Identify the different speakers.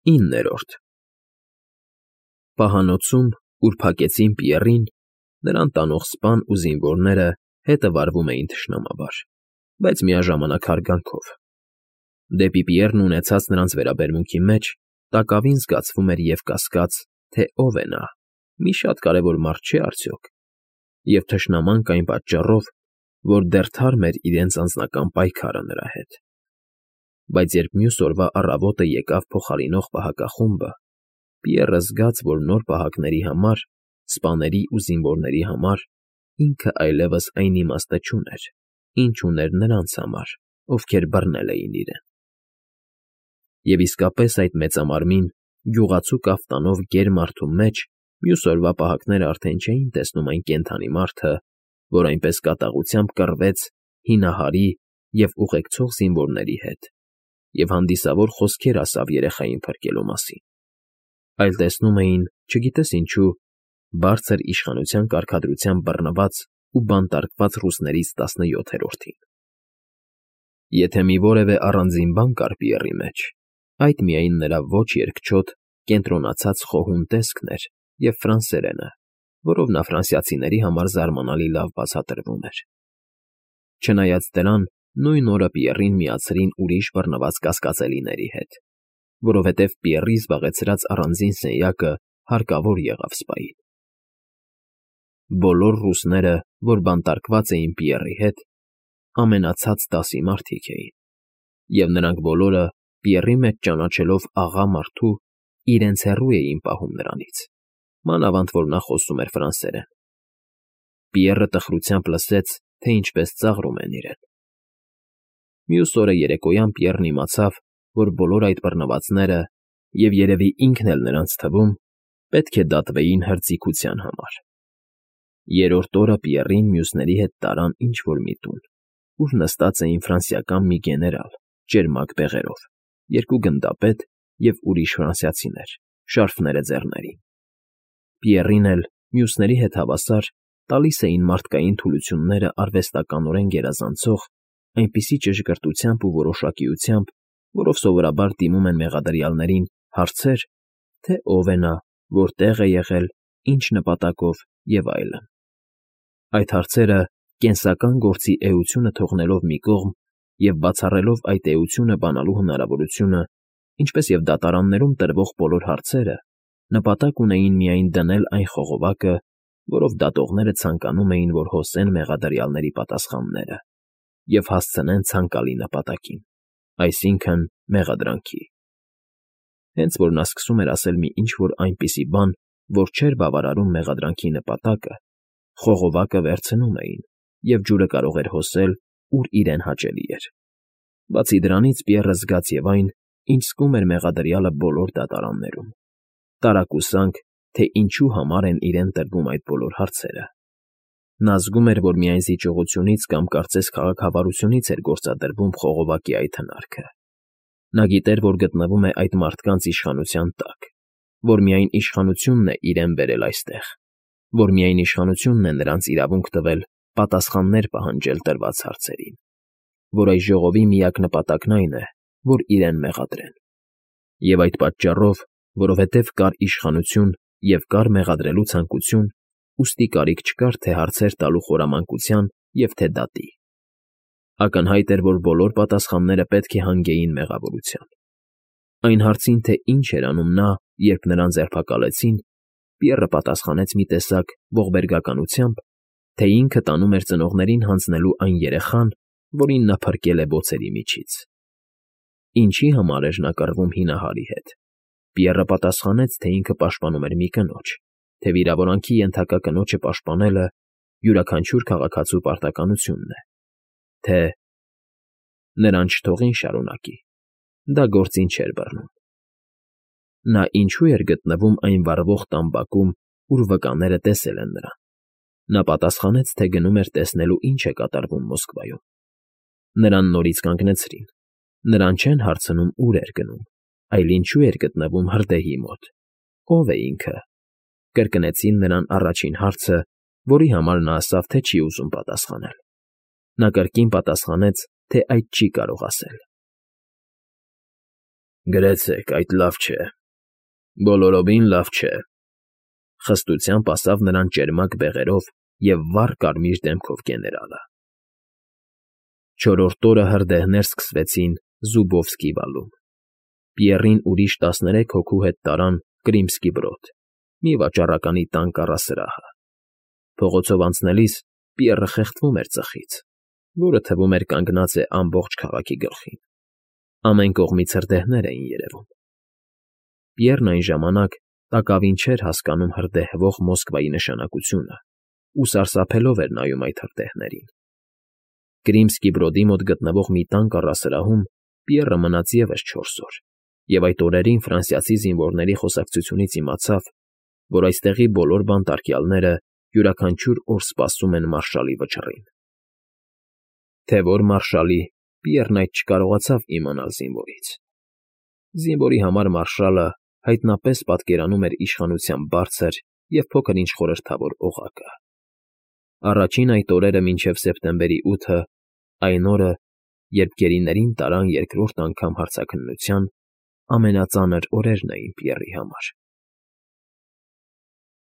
Speaker 1: 9-րդ Պահանոցում, ուր փակեցին Պիեռին, նրան տանող սպան ու զինվորները հետը վարվում էին թշնամաբար, բայց միաժամանակ հարգանքով. դեպի Պիեռն ունեցած նրանց վերաբերմունքի մեջ տակավին զգացվում էր և կասկած, թե ով է նա, մի շատ կարևոր մարդ չէ՞ արդյոք, և թշնամանք այն պատճառով, որ դեռ թարմ էր իրենց անձնական պայքարը նրա հետ. Բայց երբ մյուս օրվա առավոտը եկավ փոխարինող պահակախումբը, Պիեռը զգաց, որ նոր պահակների համար, սպաների ու զինվորների համար ինքը այլևս այն իմաստը չուներ, ինչ ուներ նրանց համար, ովքեր բռնել էին իրեն. և իսկապես այդ մեծամարմին, գյուղացու կաֆտանով գեր մարդու մեջ մյուս օրվա պահակներն արդեն չէին տեսնում այն կենդանի մարդը, որ այնպես կատաղությամբ կռվեց հինահարի և ուղեկցող զինվորների հետ և հանդիսավոր խոսքեր ասավ երեխային փրկելու մասին, այլ տեսնում էին, չգիտես ինչու, բարձր իշխանության կարգադրությամբ բռնված ու բանտարկված ռուսներից 17-րդին։ Եթե մի որևէ առանձին բան կար Պիեռի մեջ, այդ միայն նրա ոչ երկչոտ, կենտրոնացած խոհուն տեսքն էր և ֆրանսերենը, որով նա ֆրանսիացիների համար զարմանալի լավ բացատրվում էր։ Չնայած դրան, նույն օրը Պիեռին միացրին ուրիշ բռնված կասկածելիների հետ, որովհետև Պիեռի զբաղեցրած առանձին սենյակը հարկավոր եղավ սպային։ Բոլոր ռուսները, որ բանտարկված էին Պիեռի հետ, ամենացած դասի մարդիկ էին, և նրանք բոլորը, Պիեռի մեջ ճանաչելով աղա մարդու, իրենց հեռու էին պահում նրանից, մանավանդ որ նա խոսում էր ֆրանսերեն։ Պիեռը տխրությամբ լսեց, թե ինչպես ծաղրում են իրեն։ Մյուս օրը երեկոյան Պիեռն իմացավ, որ բոլոր այդ բռնվածները, և երևի ինքն էլ նրանց թվում, պետք է դատվեին հրձիգության համար։ Երրորդ օրը Պիեռին մյուսների հետ տարան ինչ֊որ մի տուն, ուր նստած էին ֆրանսիական մի գեներալ ճերմակ բեղերով, երկու գնդապետ և ուրիշ ֆրանսիացիներ, շարֆները ձեռներին։ Պիեռին էլ, մյուսների հետ հավասար, տալիս էին մարդկային թուլությունները արվեստականորեն գերազանցող այնպիսի ճշգրտությամբ ու որոշակիությամբ, որով սովորաբար դիմում են մեղադրյալներին, հարցեր, թե ով է նա, որտեղ է եղել, ինչ նպատակով և այլն։ Այդ հարցերը, կենսական գործի էությունը թողնելով մի կողմ և բացառելով այդ էությունը բանալու հնարավորությունը, ինչպես և դատարաններում տրվող բոլոր հարցերը, նպատակ ունեին միայն դնել այն խողովակը, որով դատողները ցանկանում էին, որ հոսեն մեղադրյալների պատասխանները և հասցնեն ցանկալի նպատակին, այսինքն՝ մեղադրանքի։ Հենց որ նա սկսում էր ասել մի ինչ֊որ այնպիսի բան, որ չէր բավարարում մեղադրանքի նպատակը, խողովակը վերցնում էին, և ջուրը կարող էր հոսել, ուր իրեն հաճելի էր։ Բացի դրանից Պիեռը զգաց և այն, ինչ զգում էր մեղադրյալը բոլոր դատարաններում. տարակուսանք, թե ինչու համար են իրեն տրվում այդ բոլոր հարցերը։ Նա զգում էր, որ միայն զիջողությունից կամ կարծես քաղաքավարությունից էր գործադրվում խողովակի այդ հնարքը։ Նա գիտեր, որ գտնվում է այդ մարդկանց իշխանության տակ, որ միայն իշխանությունն է իրեն բերել այստեղ, որ միայն իշխանությունն է նրանց իրավունք տվել պատասխաններ պահանջել տրված հարցերին, որ այս ժողովի միակ նպատակն այն է, որ իրեն մեղադրեն։ Եվ այդ պատճառով, որովհետև կար իշխանություն և կար մեղադրելու ցանկություն, ուստի կարիք չկար թե հարցեր տալու խորամանկության և թե դատի։ Ակնհայտ էր, որ բոլոր պատասխանները պետք է հանգեին մեղավորության։ Այն հարցին, թե ինչ էր անում նա, երբ նրան ձերբակալեցին, Պիեռը պատասխանեց մի տեսակ ողբերգականությամբ, թե ինքը տանում էր ծնողներին հանձնելու այն երեխան, որին նա փրկել է բոցերի միջից։ Ինչի համար էր նա կռվում հինահարի հետ, Պիեռը պատասխանեց, թե ինքը պաշտպանում էր մի կնոջ, թե վիրավորանքի ենթակա կնոջը պաշտպանելը յուրաքանչյուր քաղաքացու պարտականությունն է, թե… Նրան չթողին շարունակի, դա գործին չէր բռնում։ Նա ինչո՞ւ էր գտնվում այն վառվող տամբակում, ուր վկաները տեսել են նրան։ Նա պատասխանեց, թե գնում էր տեսնելու ինչ է կատարվում Մոսկվայում։ Նրան նորից կանգնեցրին, նրան չեն հարցնում ուր էր գնում, այլ ինչու էր գտնվում հրդեհի մոտ, ով է ինքը, կրկնեցին նրան առաջին հարցը, որի համար նա ասավ, թե չի ուզում պատասխանել։ Նա կրկին պատասխանեց, թե այդ չի կարող ասել։ Գրեցեք, այդ լավ չէ, բոլորովին լավ չէ,֊ խստությամբ ասավ նրան ճերմակ բեղերով և վառ կարմիր դեմքով գեներալը։ Չորրորդ օրը հրդեհներ սկսվեցին Զուբովսկի վալում։ Պիեռին ուրիշ 13 հոգու հետ տարան Կրիմսկի բրոդ, մի վաճառականի տան կառասրահը։ Փողոցով անցնելիս Պիեռը խեղդվում էր ծխից, որը թվում էր կանգնած է ամբողջ քաղաքի գլխին։ Ամեն կողմից հրդեհներ էին երևում։ Պիեռն այն ժամանակ տակավին չէր հասկանում հրդեհվող Մոսկվայի նշանակությունը ու սարսափելով էր նայում այդ հրդեհներին։ Կրիմսկի բրոդի մոտ գտնվող մի տան կառասրահում Պիեռը մնաց ևս 4 օր, և այդ օրերին ֆրանսիացի զինվորների խոսակցությունից իմացավ, որ այստեղի բոլոր բանտարկյալները յուրաքանչյուր օր սպասում են մարշալի վճռին։ Թե որ մարշալի, Պիեռն այդ չկարողացավ իմանալ զինվորից։ Զինվորի համար մարշալը հայտնապես պատկերանում էր իշխանության բարձր և փոքր-ինչ խորհրդավոր օղակը։ Առաջին այդ օրերը մինչև սեպտեմբերի 8-ը, այն օրը, երբ գերիներին տարան երկրորդ անգամ հարցաքննության, ամենածանր օրերն էին Պիեռի համար։